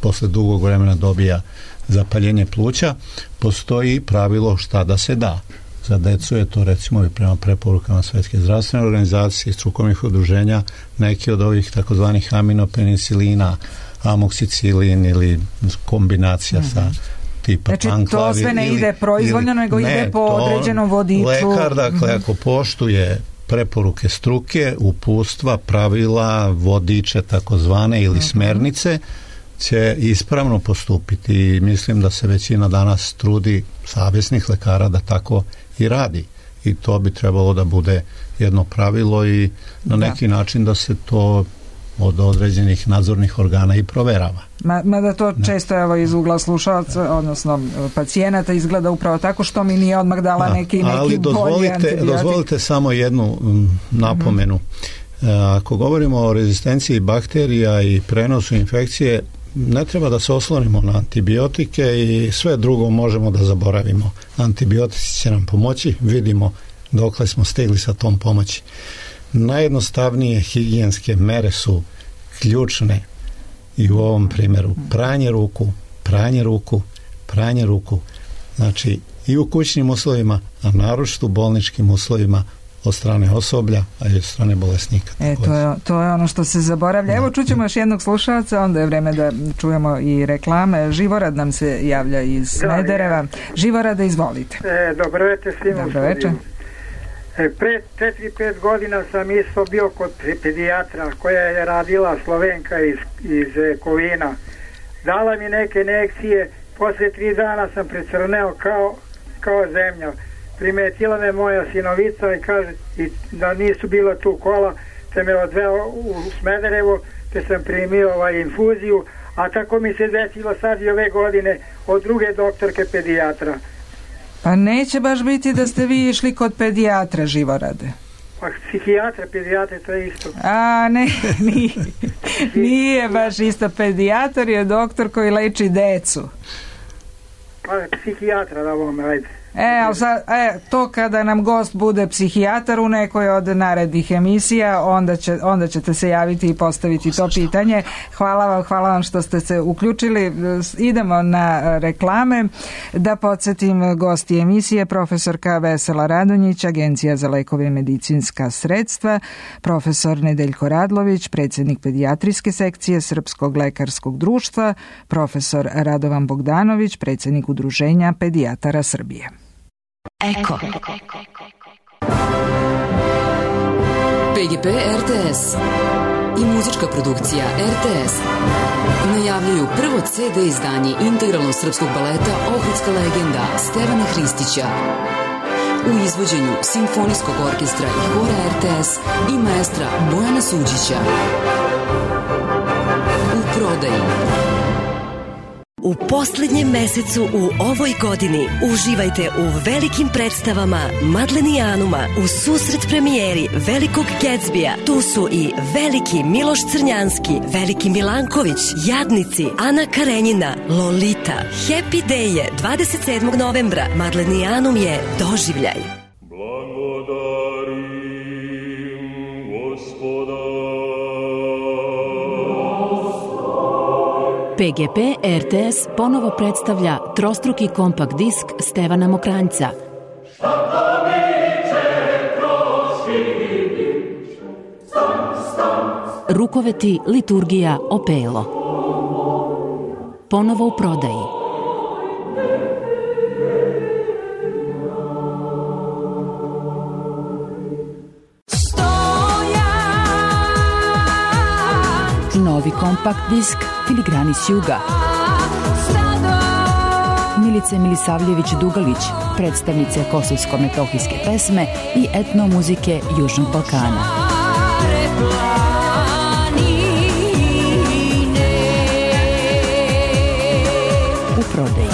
posle dugog vremena dobija zapaljenje pluća, postoji pravilo šta da se da. Za decu je to recimo i prema preporukama Svetske zdravstvene organizacije i strukovnih udruženja neki od ovih takozvanih aminopenicilina, amoksicilin ili kombinacija mm-hmm. sa tipa znači, panklavi. Znači to sve ne ili, ide proizvoljno, ili, nego ne, ide po određenom vodiču. Lekar, dakle, mm-hmm. ako poštuje preporuke struke, uputstva, pravila, vodiče takozvane ili mm-hmm. smernice, će ispravno postupiti i mislim da se većina danas trudi savjesnih lekara da tako i radi. I to bi trebalo da bude jedno pravilo i na neki da. način da se to od određenih nadzornih organa i proverava. Ma, mada to ne. često evo iz ugla slušalca, odnosno pacijenata izgleda upravo tako što mi nije odmah dala neki, neki ali bolji antibiotik. Dozvolite samo jednu m, napomenu. Mm-hmm. E, ako govorimo o rezistenciji bakterija i prenosu infekcije, ne treba da se oslonimo na antibiotike i sve drugo možemo da zaboravimo. Antibiotici će nam pomoći, vidimo dokle smo stigli sa tom pomoći. Najjednostavnije higijenske mere su ključne i u ovom primjeru pranje ruku, pranje ruku, pranje ruku. Znači i u kućnim uslovima, a naročito u bolničkim uslovima od strane osoblja, a i od strane bolesnika. E, to je, to je ono što se zaboravlja. Da. Evo čućemo još jednog slušalca, onda je vreme da čujemo i reklame. Živorad nam se javlja iz Smedereva. Živorada, izvolite. E, dobro večer svima. Dobro večer. E, pre četiri pet godina sam isto bio kod pedijatra koja je radila Slovenka iz, iz Kovina. Dala mi neke injekcije, posle tri dana sam precrneo kao, kao zemlja. Primetila me moja sinovica i kaže i da nisu bila tu kola, te me odveo u Smederevo, te sam primio ovaj infuziju, a tako mi se desilo sad i ove godine od druge doktorke pedijatra. Pa neće baš biti da ste vi išli kod pedijatra, Živorade. Pa psihijatra, pedijatra, to je isto. A, ne, nije, nije baš isto. Pedijatar je doktor koji leči decu. Pa psihijatra, da vam, ajde. E, ali sad, e, to kada nam gost bude psihijatar u nekoj od narednih emisija, onda, će, onda ćete se javiti i postaviti to pitanje. Hvala vam, hvala vam što ste se uključili. Idemo na reklame. Da podsjetim, gosti emisije profesorka Vesela Radonjić, Agencija za lekove i medicinska sredstva, profesor Nedeljko Radlović, predsjednik pedijatrijske sekcije Srpskog lekarskog društva, profesor Radovan Bogdanović, predsjednik Udruženja pedijatara Srbije. Eko. P G P R T S i muzička produkcija R T S najavljuju prvo C D izdanje integralnog srpskog baleta Ohridska legenda Stevana Hristića u izvođenju Simfonijskog orkestra i hora R T S i maestra Bojana Suđića. U prodaji. U posljednjem mesecu u ovoj godini uživajte u velikim predstavama Madlenijanuma u susret premijeri Velikog Gatsbija. Tu su i Veliki Miloš Crnjanski, Veliki Milanković, Jadnici, Ana Karenjina, Lolita. Happy Day je dvadeset sedmog novembra. Madlenijanum je doživljaj. P G P R T S ponovo predstavlja trostruki kompakt disk Stevana Mokranjca. Rukoveti, liturgija, opelo. Ponovo u prodaji. Novi kompakt disk Filigrani s juga. Milice Milisavljević-Dugalić, predstavnice kosovsko-metohijske pesme i etnomuzike Južnog Balkana. U prodaji.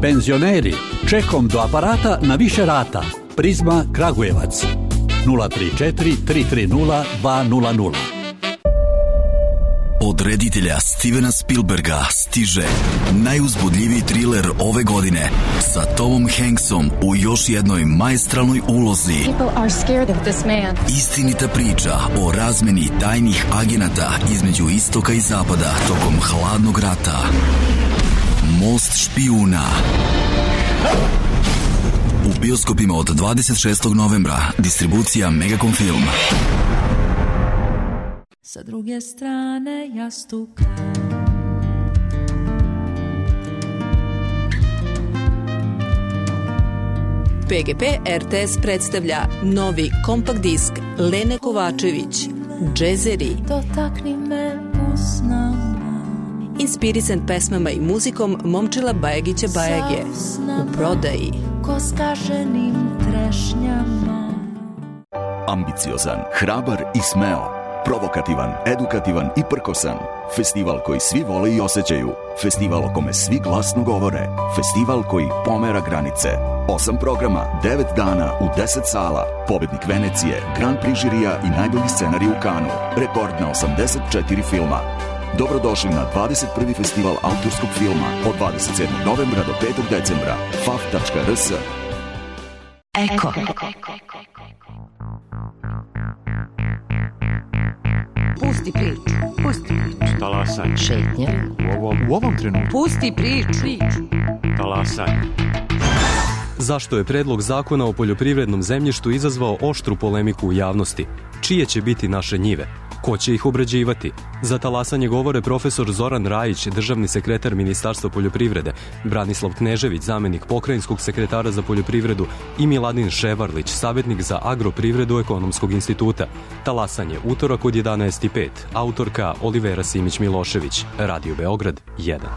Penzioneri, čekom do aparata na više rata. Prizma Kragujevac nula tri četiri tri tri nula dva nula nula. Od reditelja Stevena Spielberga stiže najuzbudljiviji triler ove godine sa Tomom Hanksom u još jednoj maestralnoj ulozi. Istinita priča o razmeni tajnih agenata između istoka i zapada tokom hladnog rata. Most špijuna. U bioskopima od dvadeset šestog novembra. Distribucija Megacom Film. Sa druge strane jastuka P G P R T S predstavlja novi kompakt disk Lene Kovačević Džezeri. Dotakni me usnama. Inspirisan pesmama i muzikom Momčila Bajagića Bajage. U prodaji. Ko skaženim trešnjama. Ambiciozan, hrabar i smeo. Provokativan, edukativan i prkosan. Festival koji svi vole i osjećaju. Festival o kome svi glasno govore. Festival koji pomera granice. Osam programa, devet dana u deset sala. Pobednik Venecije, Grand Prix žirija i najbolji scenarij u Kanu. Rekord na osamdeset četiri filma. Dobrodošli na dvadeset prvi festival autorskog filma od dvadeset sedmog novembra do petog decembra. f a f tačka r s. Eko. Pusti priču, pusti priču. Talasanje. Šetnja. U ovom, u ovom trenutku. Pusti priču. Talasanje. Zašto je predlog zakona o poljoprivrednom zemljištu izazvao oštru polemiku u javnosti? Čije će biti naše njive? Ko će ih obrađivati? Za talasanje govore profesor Zoran Rajić, državni sekretar Ministarstva poljoprivrede, Branislav Knežević, zamenik pokrajinskog sekretara za poljoprivredu i Miladin Ševarlić, savjetnik za agroprivredu Ekonomskog instituta. Talasanje utorak od jedanaest i pet. Autorka Olivera Simić-Milošević. Radio Beograd jedan.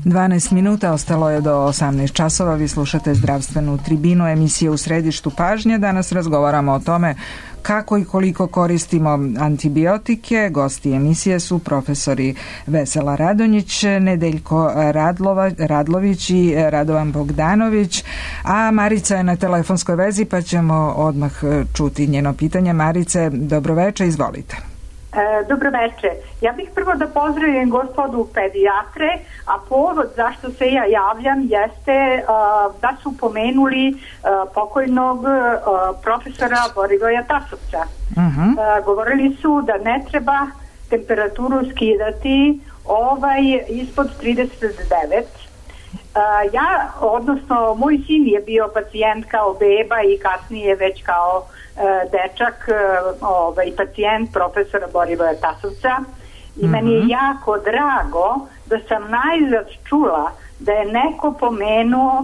dvanaest minuta, ostalo je do osamnaest časova. Vi slušate zdravstvenu tribinu, emisije U središtu pažnje. Danas razgovaramo o tome kako i koliko koristimo antibiotike. Gosti emisije su profesori Vesela Radonjić, Nedeljko Radlova, Radlović i Radovan Bogdanović, a Marica je na telefonskoj vezi pa ćemo odmah čuti njeno pitanje. Marice, dobroveče, izvolite. E, dobroveče. Ja bih prvo da pozdravim gospodu pedijatre, a povod zašto se ja javljam jeste a, da su pomenuli a, pokojnog a, profesora Borivoja Tasovca. Uh-huh. A, govorili su da ne treba temperaturu skidati ovaj ispod trideset devet. A, ja, odnosno moj sin je bio pacijent kao beba i kasnije već kao dečak, ovaj, pacijent profesora Borivoja Tasovca i mm-hmm. meni je jako drago da sam najzad čula da je neko pomenuo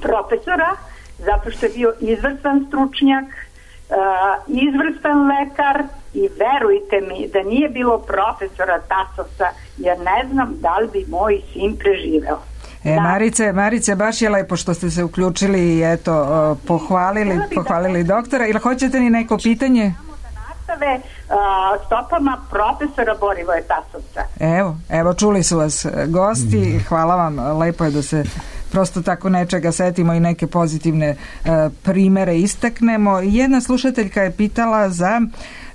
profesora zato što je bio izvrstan stručnjak, uh, izvrstan lekar i verujte mi da nije bilo profesora Tasovca jer ne znam da li bi moj sin preživeo. E, Marice, Marice, baš je lepo što ste se uključili i eto, pohvalili, pohvalili doktora. Ili hoćete ni neko pitanje? Nastave uh, stopama profesora Borivoja Tasovca. Evo, evo, čuli su vas gosti. Hvala vam, lepo je da se prosto tako nečega setimo i neke pozitivne uh, primere istaknemo. Jedna slušateljka je pitala za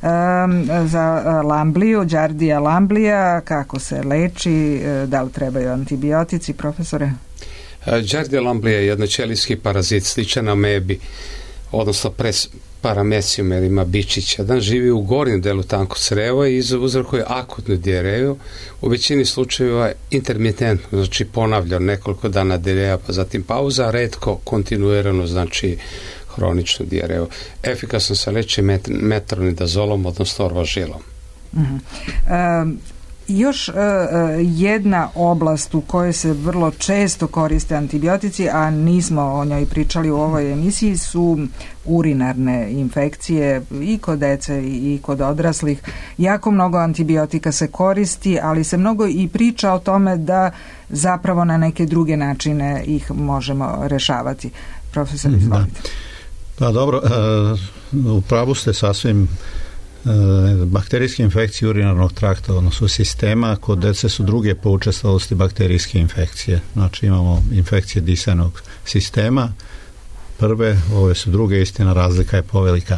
Um, za lambliju, Giardia lamblija, kako se leči, da li trebaju antibiotici, profesore? Giardia lamblija je jednoćelijski parazit, sličan amebi, odnosno pres paramecium, jer ima bičića. Dan živi u gornjem delu tankog creva i uzrokuje akutnu dijareju, u većini slučajeva intermitentno, znači ponavlja nekoliko dana dijareja, pa zatim pauza, a retko kontinuirano, znači hroničnu dijareju. Efikasno se leči met, metronidazolom, odnosno orvažilom. Uh-huh. E, još e, jedna oblast u kojoj se vrlo često koriste antibiotici, a nismo o njoj pričali u ovoj emisiji, su urinarne infekcije i kod dece i kod odraslih. Jako mnogo antibiotika se koristi, ali se mnogo i priča o tome da zapravo na neke druge načine ih možemo rešavati. Profesor, izvolite. Da. Pa dobro, u pravu ste sasvim. Bakterijske infekcije urinarnog trakta, odnosno sistema, kod dece su druge po učestalosti bakterijske infekcije. Znači imamo infekcije disajnog sistema, prve, ove su druge, istina razlika je povelika.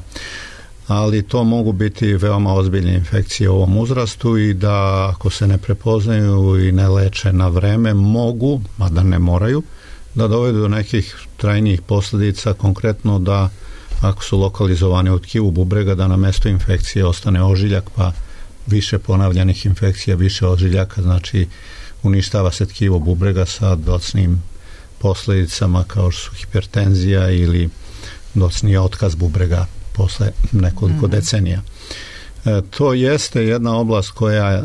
Ali to mogu biti veoma ozbiljne infekcije u ovom uzrastu i da ako se ne prepoznaju i ne leče na vreme, mogu, mada ne moraju, da dovedu do nekih trajnijih posljedica, konkretno da ako su lokalizovane u tkivu bubrega, da na mesto infekcije ostane ožiljak, pa više ponavljanih infekcija, više ožiljaka, znači uništava se tkivo bubrega sa docnim posljedicama kao što su hipertenzija ili docni otkaz bubrega posle nekoliko mm. decenija. E, to jeste jedna oblast koja e,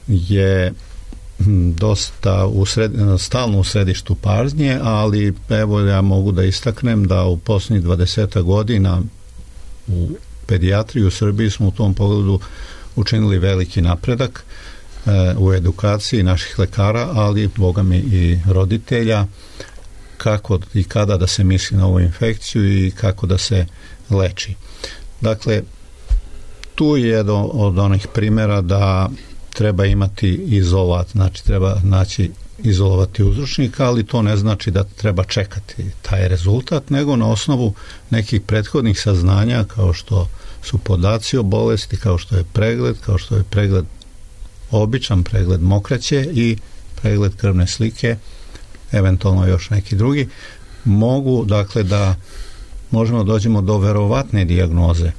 je dosta u sred, stalno u središtu pažnje, ali evo ja mogu da istaknem da u posljednjih dvadeset godina u pedijatriji u Srbiji smo u tom pogledu učinili veliki napredak e, u edukaciji naših lekara, ali boga mi i roditelja, kako i kada da se misli na ovu infekciju i kako da se leči. Dakle, tu je jedan od onih primjera da treba imati izolat, znači treba naći izolovati uzročnika, ali to ne znači da treba čekati taj rezultat, nego na osnovu nekih prethodnih saznanja kao što su podaci o bolesti, kao što je pregled, kao što je pregled običan pregled mokraće i pregled krvne slike, eventualno još neki drugi, mogu dakle da možemo dođemo do verovatne dijagnoze.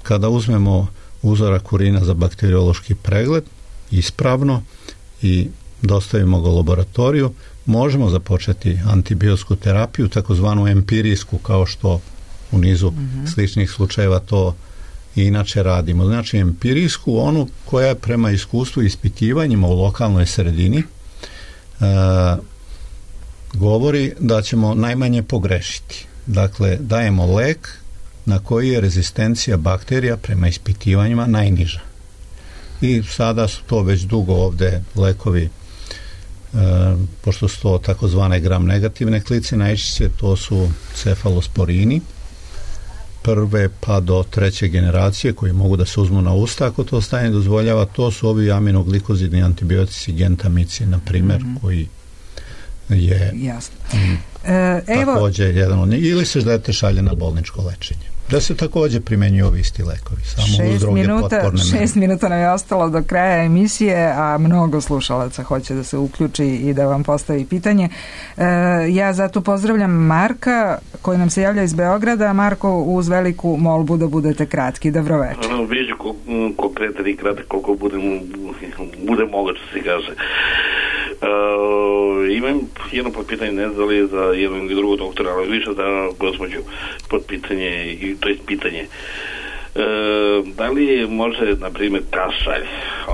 Kada uzmemo uzorak urina za bakteriološki pregled ispravno i dostavimo ga u laboratoriju, možemo započeti antibiotsku terapiju, takozvanu empirijsku, kao što u nizu mm-hmm. sličnih slučajeva to i inače radimo. Znači empirijsku, onu koja je prema iskustvu i ispitivanjima u lokalnoj sredini e, govori da ćemo najmanje pogrešiti. Dakle, dajemo lek na koji je rezistencija bakterija prema ispitivanjima najniža. I sada su to već dugo ovde lekovi, e, pošto su to takozvane gram negativne klice, najčešće to su cefalosporini prve pa do treće generacije koji mogu da se uzmu na usta ako to stanje dozvoljava, to su ovi aminoglikozidni antibiotici gentamicin, na primjer, mm-hmm. koji je Jasno. M, e, evo, također jedan od njih, ili se dete šalje na bolničko lečenje. Da se također primenjuju ovi isti lekovi, samo uz druge potporne mere. Šest minuta nam je ostalo do kraja emisije, a mnogo slušalaca hoće da se uključi i da vam postavi pitanje. E, ja zato pozdravljam Marka koji nam se javlja iz Beograda. Marko, uz veliku molbu da budete kratki. Dobro večer. Ono, biću konkretan i kratak koliko budem, bude moguće, se kaže. Uh, imam jedno potpitanje, ne znam li za jednog ili drugog doktora, ali više za gospođu potpitanje, to je pitanje. Uh, da li može, na primjer, kašalj,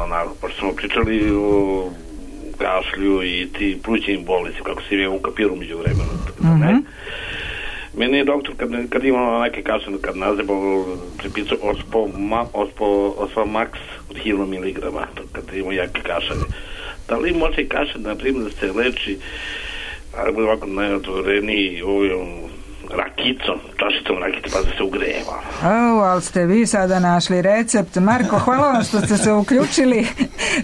onako, pošto smo pričali o kašlju i ti plućnim bolesti, kako se ime ukapirao među vremenu, mm-hmm. ne? Meni je doktor, kad, kad imamo neke kašlje, kad nazebao, pripisao ospo, ma, ospo, ospo max od hiljadu miligrama, kad imamo jake kašalje. Da li može kašalj, na primjer, da se leči, ali bude ovako najotvoreniji ovim rakicom, čašicom rakice, pa da se ugreva. O, ali ste vi sada našli recept. Marko, hvala vam što ste se uključili.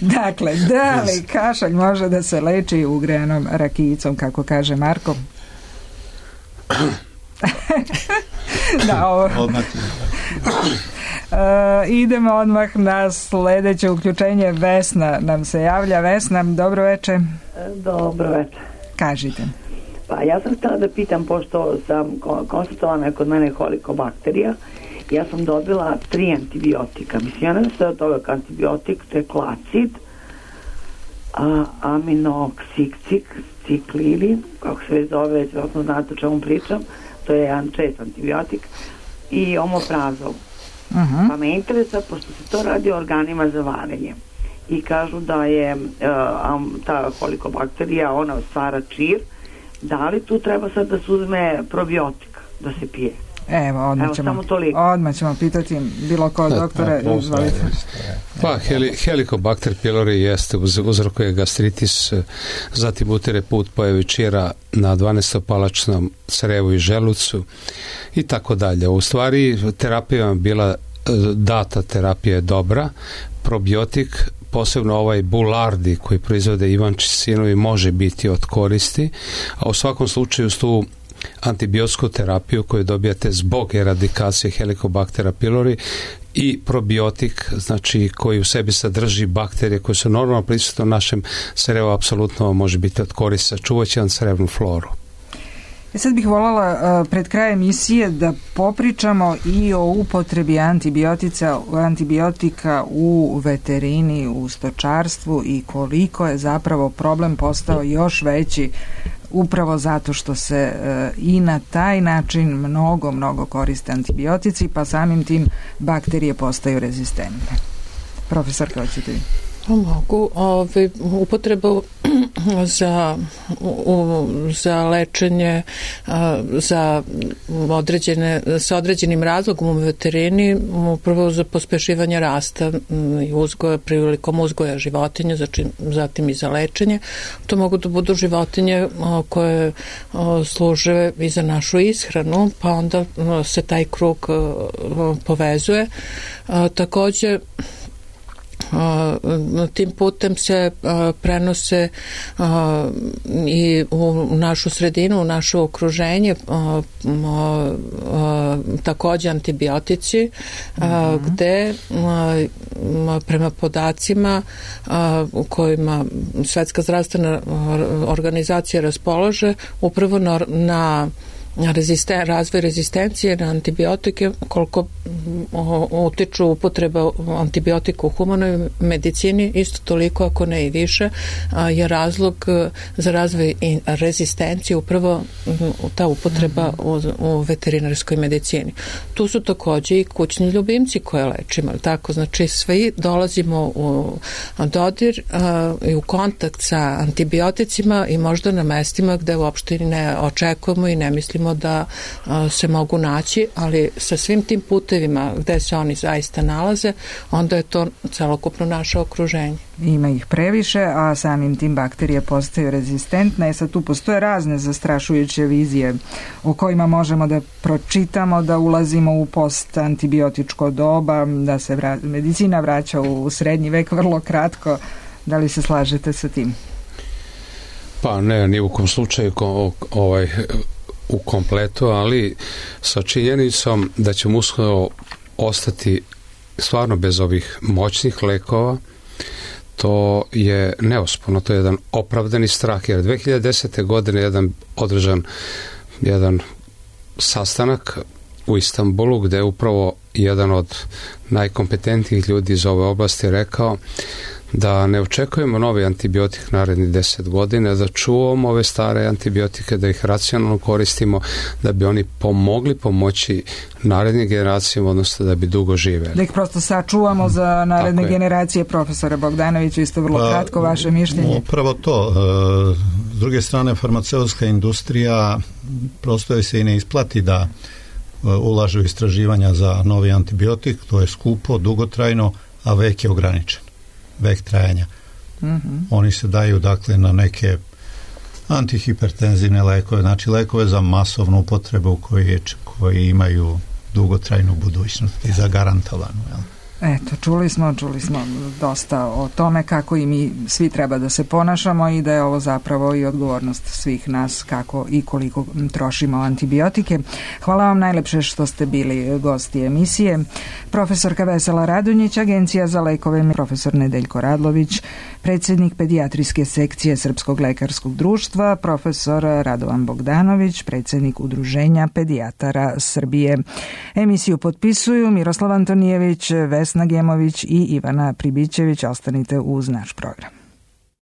Dakle, da li kašalj može da se leči ugrejanom rakicom, kako kaže Marko? Da, ovo... Uh, idemo odmah na sljedeće uključenje. Vesna nam se javlja. Vesna, dobro večer. Dobro večer. Kažite. Pa ja sam htjela da pitam, pošto sam konstatovana kod mene helikobakterija, ja sam dobila tri antibiotika. Mislim, ja ne znam od toga antibiotik, to je klacid, a, aminoksicik, ciklili, kako se već zove, već vjerojatno znate o čemu pričam, to je jedan čest antibiotik, i omoprazol. Uh-huh. Pa me interesa, pošto se to radi o organima za varenje i kažu da je uh, um, ta helikobakterija, ona stvara čir, da li tu treba sad da se uzme probiotik da se pije? Evo, odmah, Evo, ćemo, odmah ćemo pitati bilo ko doktore. Pa, heli, Helicobacter pylori jeste, uz, uzrokuje gastritis, zatim utire put pojavi čira na dvanaestopalačnom crevu i želucu i tako dalje. U stvari, terapija je bila data, terapija je dobra, probiotik, posebno ovaj Bulardi koji proizvode Ivančić sinovi, može biti od koristi, a u svakom slučaju s tu antibiotsku terapiju koju dobijate zbog eradikacije Helicobactera pylori i probiotik, znači koji u sebi sadrži bakterije koje su normalno prisutne u našem crevu, apsolutno može biti od koristi, sačuvat će vam crevnu floru. E sad bih voljela uh, pred krajem emisije da popričamo i o upotrebi antibiotica, antibiotika u veterini, u stočarstvu i koliko je zapravo problem postao još veći upravo zato što se uh, i na taj način mnogo, mnogo koriste antibiotici, pa samim tim bakterije postaju rezistentne. Profesor, kako ćete vi? Mogu. Ove, upotrebu za, u, za lečenje za određene, sa određenim razlogom u veterini, upravo za pospešivanje rasta i uzgoja, prilikom uzgoja životinja, zatim, zatim i za lečenje. To mogu da budu životinje koje služe i za našu ishranu, pa onda se taj krug povezuje. Također, Uh, tim putem se uh, prenose uh, i u našu sredinu, u naše okruženje uh, uh, uh, također antibiotici uh, mm-hmm. gde uh, prema podacima uh, u kojima Svetska zdravstvena organizacija raspolaže upravo na, na Rezisten, razvoj rezistencije na antibiotike, koliko utiču upotreba antibiotika u humanoj medicini, isto toliko, ako ne i više, je razlog za razvoj rezistencije upravo ta upotreba u, u veterinarskoj medicini. Tu su također i kućni ljubimci koje lečimo, tako, znači svi dolazimo u dodir uh, i u kontakt sa antibioticima i možda na mestima gde uopšte ne očekujemo i ne mislimo mislimo da se mogu naći, ali sa svim tim putevima gde se oni zaista nalaze, onda je to celokupno naše okruženje. Ima ih previše, a samim tim bakterije postaju rezistentne. Sad tu postoje razne zastrašujuće vizije o kojima možemo da pročitamo, da ulazimo u postantibiotičko doba, da se vra- medicina vraća u srednji vek vrlo kratko. Da li se slažete sa tim? Pa ne, ni u kom slučaju ko, ovaj, u kompletu, ali sa činjenicom da ćemo uskoro ostati stvarno bez ovih moćnih lekova, to je neosporno, to je jedan opravdani strah, jer dve hiljade desete. godine jedan održan jedan sastanak u Istanbulu gde je upravo jedan od najkompetentnijih ljudi iz ove oblasti rekao da ne očekujemo novi antibiotik narednih deset godina, da čuvamo ove stare antibiotike, da ih racionalno koristimo, da bi oni pomogli pomoći narednim generacijama, odnosno da bi dugo živeli. Da ih prosto sačuvamo za naredne generacije. Profesore Bogdanoviću, isto vrlo pa, kratko vaše mišljenje. Upravo to. S druge strane, farmaceutska industrija prosto je se i ne isplati da ulaže u istraživanja za novi antibiotik, to je skupo, dugotrajno, a vek je ograničen. Vek trajanja. Mm-hmm. Oni se daju dakle na neke antihipertenzivne lekove, znači lekove za masovnu upotrebu koji, koji imaju dugotrajnu budućnost i zagarantovanu. Jel? Eto, čuli smo, čuli smo dosta o tome kako i mi svi treba da se ponašamo i da je ovo zapravo i odgovornost svih nas kako i koliko trošimo antibiotike. Hvala vam najlepše što ste bili gosti emisije. Profesorka Vesela Radonjić, Agencija za lekove, profesor Nedeljko Radlović, predsjednik pedijatrijske sekcije Srpskog lekarskog društva, profesor Radovan Bogdanović, predsjednik Udruženja pedijatara Srbije. Emisiju potpisuju Miroslav Antonijević, Vesna Gemović i Ivana Pribićević. Ostanite uz naš program.